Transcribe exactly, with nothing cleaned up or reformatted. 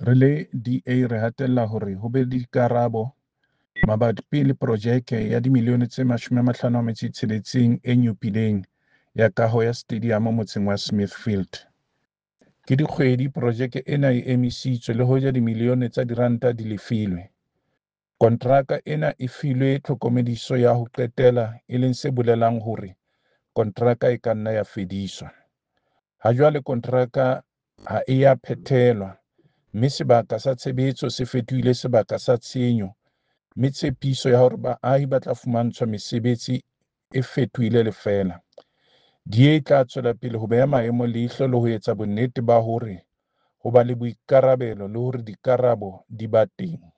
Re le D A re hatella hore ho be le dikarabo mabapi le projeke ya dimilione tse mashome a mahlano a metso e tsheletseng e nyopileng ya kaho ya stadiamo motseng wa Smithfield. Ke dikgwedi projeke ena e emisitswe le hoja dimilione tsa diranta di lefilwe. Kontraka ena e filwe tlhokomediso ya ho qetela e leng se bolelang hore kontraka e ka nna ya fediswa. Hajwale kontraka ha e a phethelwa, mme sebaka sa tshebetso se fetohile sebaka sa tshenyo, mme tshepiso ya hore baahi ba tla fumantshwa mesebetsi e fetohile lefeela. D A e tla tswela pele ho beha maemo leihlo le ho etsa bonnete ba hore ho ba le boikarabelo le hore dikarabo di ba teng.